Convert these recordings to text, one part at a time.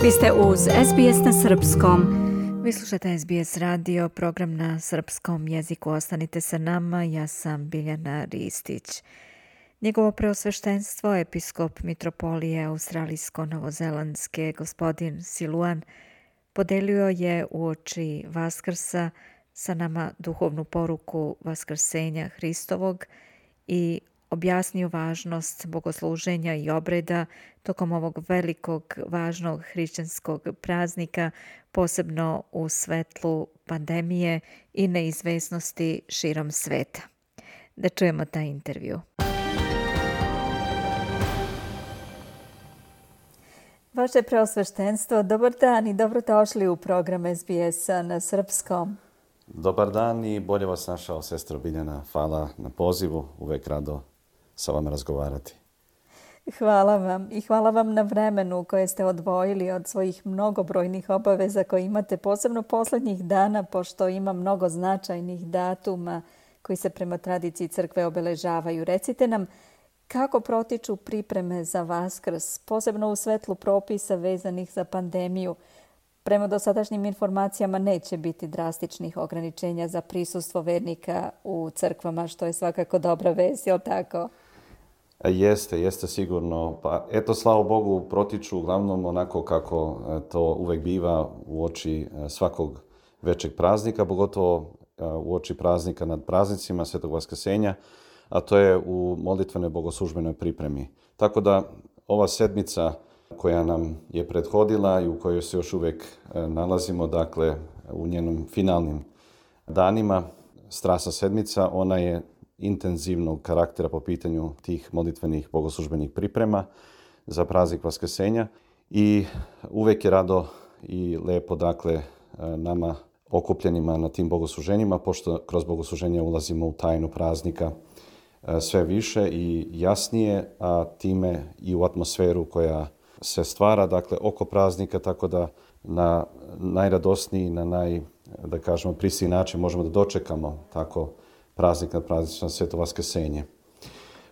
Vi ste uz SBS na srpskom. Vi slušate SBS radio, program na srpskom jeziku. Ostanite sa nama, ja sam Biljana Ristić. Njegovo preosveštenstvo, episkop mitropolije australijsko-novozelandske, gospodin Siluan, podelio je uoči Vaskrsa sa nama duhovnu poruku Vaskrsenja Hristovog i objasnio važnost bogosluženja i obreda tokom ovog velikog, važnog hrišćanskog praznika, posebno u svetlu pandemije i neizvesnosti širom sveta. Da čujemo taj intervju. Vaše preosveštenstvo, dobar dan i dobrodošli u program SBS-a na srpskom. Dobar dan i bolje vas našao, sestro Biljana. Hvala na pozivu, uvek rado sa vama razgovarati. Hvala vam i hvala vam na vremenu koje ste odvojili od svojih mnogobrojnih obaveza koje imate, posebno posljednjih dana, pošto ima mnogo značajnih datuma koji se prema tradiciji crkve obeležavaju. Recite nam kako protiču pripreme za Vaskrs, posebno u svetlu propisa vezanih za pandemiju. Prema dosadašnjim informacijama neće biti drastičnih ograničenja za prisustvo vernika u crkvama, što je svakako dobra vest, je li tako? Jeste sigurno. Pa eto, slava Bogu, protiču uglavnom onako kako to uvek biva uoči svakog većeg praznika, pogotovo uoči praznika nad praznicima Svetog Vaskrsenja, a to je u molitvenoj bogoslužbenoj pripremi. Tako da ova sedmica koja nam je prethodila i u kojoj se još uvijek nalazimo, dakle u njenom finalnim danima, Strasna sedmica, ona je intenzivnog karaktera po pitanju tih molitvenih bogoslužbenih priprema za praznik Vaskrsenja i uvijek je rado i lepo, dakle, nama okupljenima na tim bogosluženjima, pošto kroz bogosluženje ulazimo u tajnu praznika sve više i jasnije, a time i u atmosferu koja se stvara, dakle, oko praznika, tako da na najradosniji, da kažemo, prisiji način možemo da dočekamo tako praznik nad praznicima Sveto Vaskrsenje.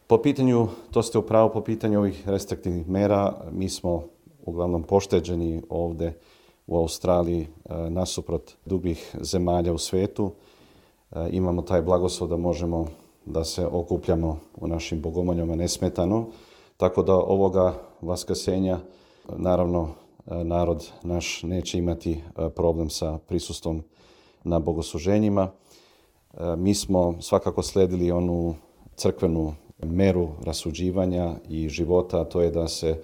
Po pitanju, to ste upravo, po pitanju ovih restriktivnih mera, mi smo uglavnom pošteđeni ovde u Australiji nasuprot drugih zemalja u svetu. Imamo taj blagoslov da možemo da se okupljamo u našim bogomoljama nesmetano, tako da ovoga Vaskrsenja, naravno, narod naš neće imati problem sa prisustvom na bogosluženjima. Mi smo svakako sledili onu crkvenu meru rasuđivanja i života, a to je da se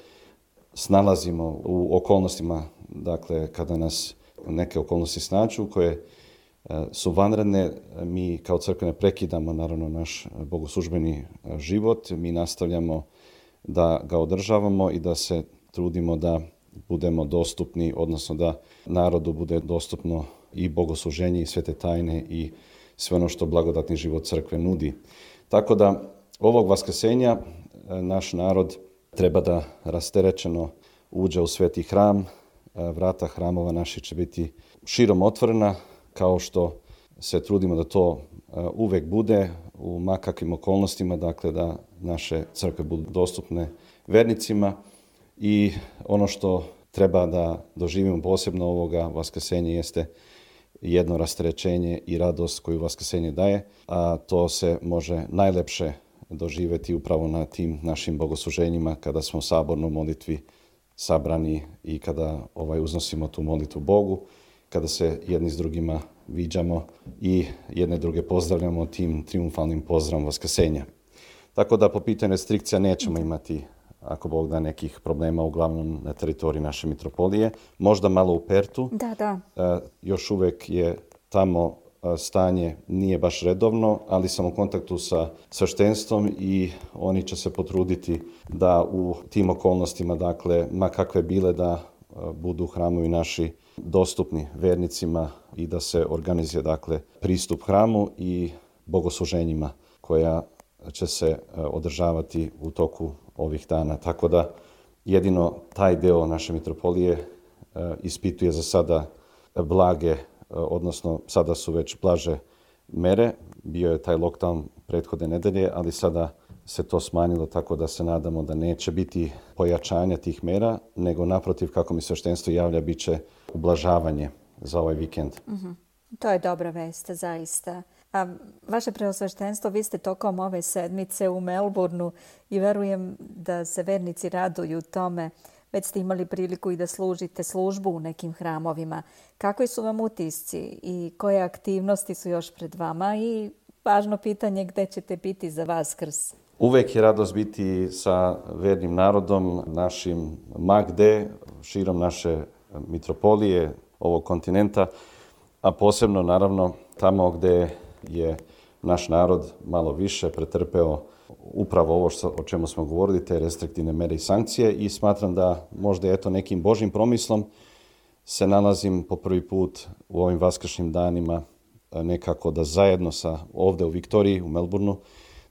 snalazimo u okolnostima, dakle, kada nas neke okolnosti snađu koje su vanredne, mi kao crkva ne prekidamo, naravno, naš bogoslužbeni život, mi nastavljamo da ga održavamo i da se trudimo da budemo dostupni, odnosno da narodu bude dostupno i bogosluženje i svete tajne i sve ono što blagodatni život crkve nudi. Tako da ovog Vaskrsenja naš narod treba da rasterećeno uđe u sveti hram. Vrata hramova naši će biti širom otvorena, kao što se trudimo da to uvek bude u makakvim okolnostima, dakle da naše crkve budu dostupne vernicima. I ono što treba da doživimo posebno ovoga Vaskrsenja jeste jedno rasterećenje i radost koju Vaskrsenje daje, a to se može najlepše doživjeti upravo na tim našim bogosluženjima kada smo u sabornoj molitvi sabrani i kada uznosimo tu molitvu Bogu, kada se jedni s drugima viđamo i jedne druge pozdravljamo tim triumfalnim pozdravom Vaskrsenja. Tako da po pitanju restrikcija nećemo imati, ako Bog da, nekih problema, uglavnom na teritoriji naše mitropolije. Možda malo u Pertu. Da. Još uvek je tamo stanje nije baš redovno, ali sam u kontaktu sa sveštenstvom i oni će se potruditi da u tim okolnostima, dakle, ma kakve bile, da budu hramovi naši dostupni vernicima i da se organizuje, dakle, pristup hramu i bogosluženjima koja će se održavati u toku ovih dana. Tako da jedino taj deo naše mitropolije ispituje za sada blage, odnosno sada su već blaže mere. Bio je taj lockdown prethodne nedelje, ali sada se to smanjilo, tako da se nadamo da neće biti pojačanja tih mera, nego naprotiv, kako mi sveštenstvo javlja, bit će ublažavanje za ovaj vikend. To je dobra vest, zaista. A vaše preosveštenstvo, vi ste tokom ove sedmice u Melbourneu i verujem da se vernici raduju tome. Već ste imali priliku i da služite službu u nekim hramovima. Kakvi su vam utisci i koje aktivnosti su još pred vama? I važno pitanje, gde ćete biti za Vaskrs? Uvek je radost biti sa vernim narodom, našim ma gde, širom naše mitropolije, ovog kontinenta, a posebno naravno tamo gde je naš narod malo više pretrpeo upravo ovo o čemu smo govorili, te restriktivne mere i sankcije, i smatram da možda nekim Božjim promislom se nalazim po prvi put u ovim vaskršnjim danima nekako da zajedno ovde u Viktoriji, u Melbourneu,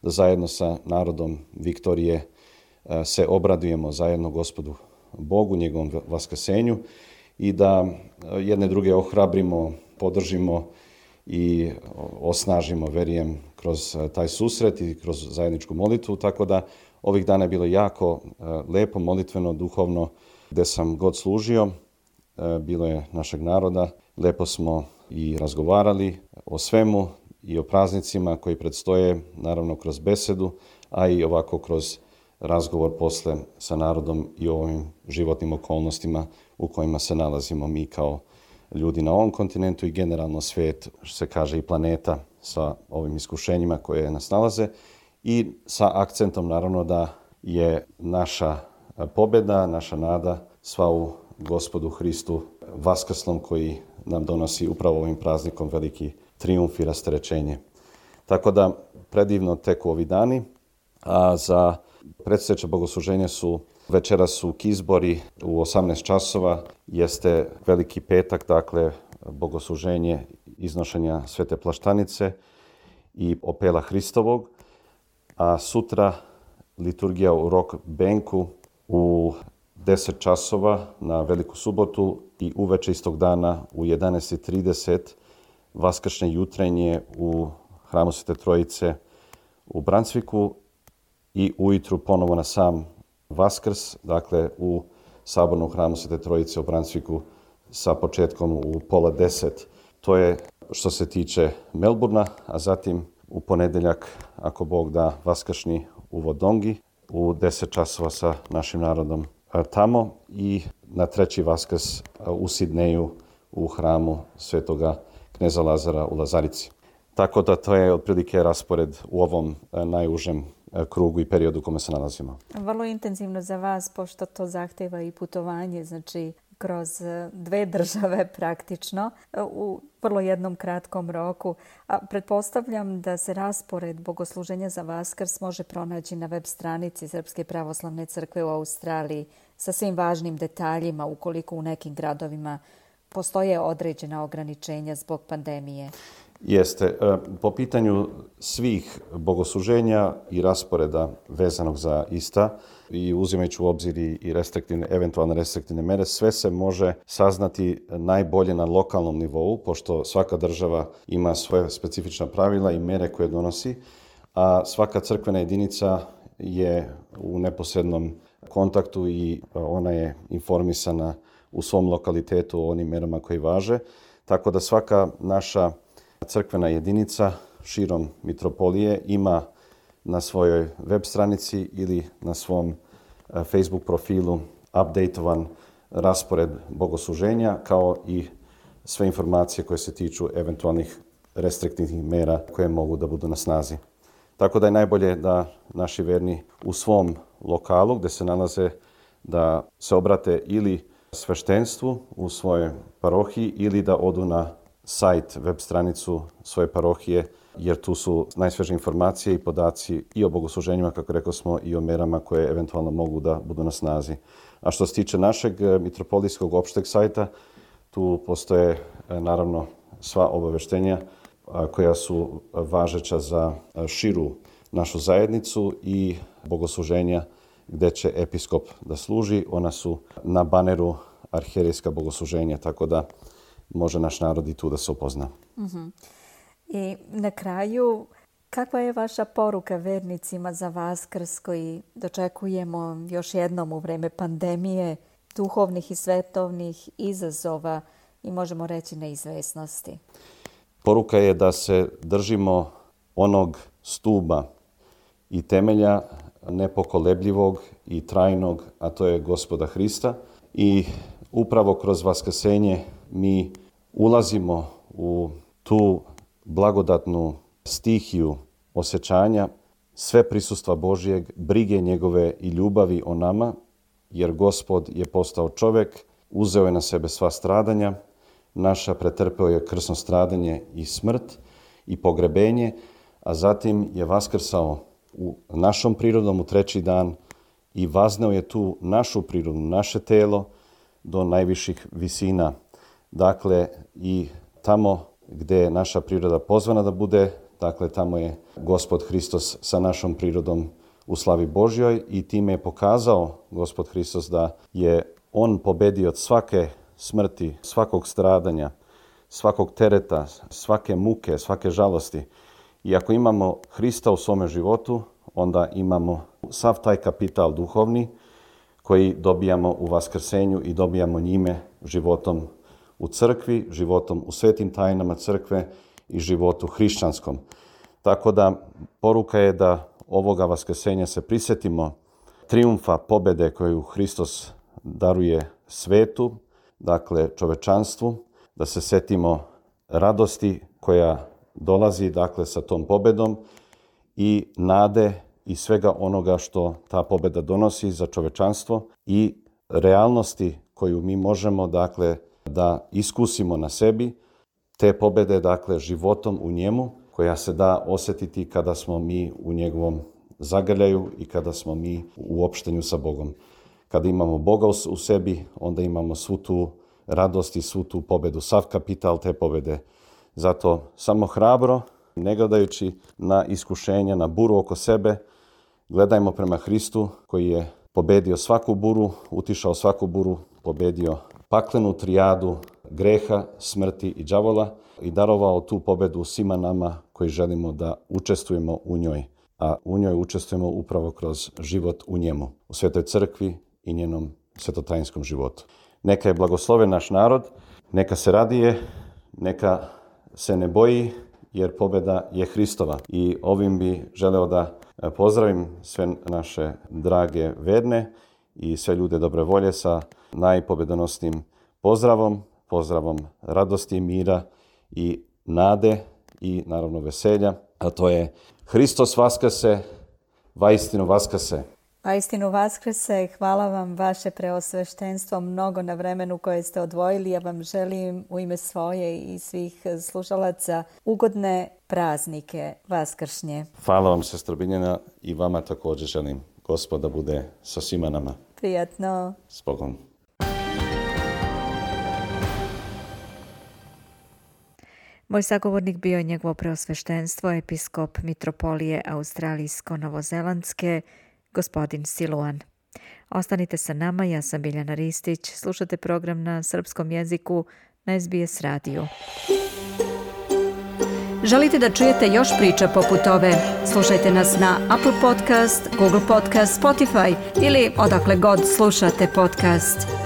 da zajedno sa narodom Viktorije se obradujemo zajedno Gospodu Bogu, njegovom vaskrsenju, i da jedne druge ohrabrimo, podržimo i osnažimo, verujem, kroz taj susret i kroz zajedničku molitvu. Tako da ovih dana je bilo jako lepo, molitveno, duhovno, gde sam god služio. Bilo je našeg naroda. Lepo smo i razgovarali o svemu i o praznicima koji predstoje, naravno kroz besedu, a i ovako kroz razgovor posle sa narodom i o ovim životnim okolnostima u kojima se nalazimo mi kao ljudi na ovom kontinentu i generalno svijet, što se kaže i planeta, sa ovim iskušenjima koje nas nalaze, i sa akcentom naravno da je naša pobjeda, naša nada sva u Gospodu Hristu vaskrslom, koji nam donosi upravo ovim praznikom veliki trijumf i rasterećenje. Tako da predivno teku ovi dani, a za predstojeće bogosluženje večeras su kizbori u 18 časova, jeste veliki petak, dakle bogosluženje iznošenja svete plaštanice i opela Hristovog, a sutra liturgija u Rock Banku u 10 časova na Veliku subotu i uveče istog dana u 11:30 vaskršnje jutrenje u hramu Svete Trojice u Brunswicku i ujutru ponovo na sam Vaskrs, dakle u sabornom hramu Svete Trojice u Brunswicku sa početkom u 9:30. To je što se tiče Melbournea, a zatim u ponedeljak, ako Bog da, vaskršnji u Wodongi u 10 časova sa našim narodom tamo, i na treći Vaskrs u Sidneju u hramu Svetoga kneza Lazara u Lazarici. Tako da to je otprilike raspored u ovom najužem krugu i periodu u kome se nalazimo. Vrlo intenzivno za vas, pošto to zahteva i putovanje, znači kroz 2 države praktično, u vrlo jednom kratkom roku. A pretpostavljam da se raspored bogosluženja za Vaskrs može pronaći na web stranici Srpske pravoslavne crkve u Australiji sa svim važnim detaljima, ukoliko u nekim gradovima postoje određena ograničenja zbog pandemije. Jeste. Po pitanju svih bogosluženja i rasporeda vezanog za ista i uzimajući u obzir i eventualne restriktivne mere, sve se može saznati najbolje na lokalnom nivou, pošto svaka država ima svoje specifična pravila i mere koje donosi, a svaka crkvena jedinica je u neposrednom kontaktu i ona je informisana u svom lokalitetu o onim merama koje važe, tako da svaka naša crkvena jedinica širom mitropolije ima na svojoj web stranici ili na svom Facebook profilu updateovan raspored bogosluženja, kao i sve informacije koje se tiču eventualnih restriktivnih mera koje mogu da budu na snazi. Tako da je najbolje da naši verni u svom lokalu gde se nalaze da se obrate ili sveštenstvu u svojoj parohiji ili da odu na sajt, web stranicu svoje parohije, jer tu su najsvežije informacije i podaci i o bogosluženjima, kako rekao smo, i o merama koje eventualno mogu da budu na snazi. A što se tiče našeg mitropolijskog opšteg sajta, tu postoje naravno sva obaveštenja koja su važeća za širu našu zajednicu i bogosluženja gde će episkop da služi. Ona su na baneru arhijerejska bogosluženja, tako da može naš narod i tu da se upozna. I na kraju, Kakva je vaša poruka vernicima za Vaskrs koji dočekujemo još jednom u vreme pandemije, duhovnih i svetovnih izazova i možemo reći neizvesnosti? Poruka je da se držimo onog stuba i temelja nepokolebljivog i trajnog, a to je Gospoda Hrista. I upravo kroz vaskrsenje mi ulazimo u tu blagodatnu stihiju osjećanja sve prisustva Božjeg, brige njegove i ljubavi o nama, jer Gospod je postao čovjek, uzeo je na sebe sva stradanja, naša pretrpeo je krsno stradanje i smrt i pogrebenje, a zatim je vaskrsao u našom prirodom u treći dan i vazneo je tu našu prirodu, naše telo do najviših visina. Dakle, i tamo gdje je naša priroda pozvana da bude, dakle, tamo je Gospod Hristos sa našom prirodom u slavi Božjoj i time je pokazao Gospod Hristos da je on pobedio od svake smrti, svakog stradanja, svakog tereta, svake muke, svake žalosti. I ako imamo Hrista u svome životu, onda imamo sav taj kapital duhovni koji dobijamo u vaskrsenju i dobijamo njime životom u crkvi, životom u svetim tajnama crkve i životu hrišćanskom. Tako da poruka je da ovoga vaskrsenja se prisjetimo trijumfa, pobjede koju Hristos daruje svetu, dakle čovečanstvu, da se sjetimo radosti koja dolazi dakle sa tom pobjedom i nade i svega onoga što ta pobjeda donosi za čovečanstvo i realnosti koju mi možemo dakle da iskusimo na sebi, te pobjede dakle životom u njemu koja se da osjetiti kada smo mi u njegovom zagrljaju i kada smo mi u opštenju sa Bogom. Kada imamo Boga u sebi, onda imamo svu tu radost i svu tu pobjedu, sav kapital te pobjede. Zato samo hrabro, ne gledajući na iskušenja, na buru oko sebe, gledajmo prema Hristu koji je pobedio svaku buru, utišao svaku buru, pobedio paklenu trijadu greha, smrti i đavola i darovao tu pobjedu svima nama koji želimo da učestvujemo u njoj. A u njoj učestvujemo upravo kroz život u njemu, u Svetoj crkvi i njenom svetotajinskom životu. Neka je blagosloven naš narod, neka se radije, neka se ne boji, jer pobjeda je Hristova. I ovim bi želeo da pozdravim sve naše drage verne i sve ljude dobre volje sa najpobjedonosnim pozdravom radosti, mira i nade i naravno veselja. A to je Hristos vaskrse, vaistinu vaskrse. Vaistinu vaskrse, hvala vam vaše preosveštenstvo mnogo na vremenu koje ste odvojili. Ja vam želim u ime svoje i svih slušalaca ugodne praznike vaskršnje. Hvala vam, sestra Biljana, i vama također želim. Gospod da bude sa svima nama. Prijatno. S Bogom. Moj sagovornik bio je njegovo preosveštenstvo, episkop mitropolije Australijsko-Novozelandske, gospodin Siluan. Ostanite sa nama, ja sam Biljana Ristić. Slušate program na srpskom jeziku na SBS radiju. Želite da čujete još priča poput ove? Slušajte nas na Apple Podcast, Google Podcast, Spotify ili odakle god slušate podcast.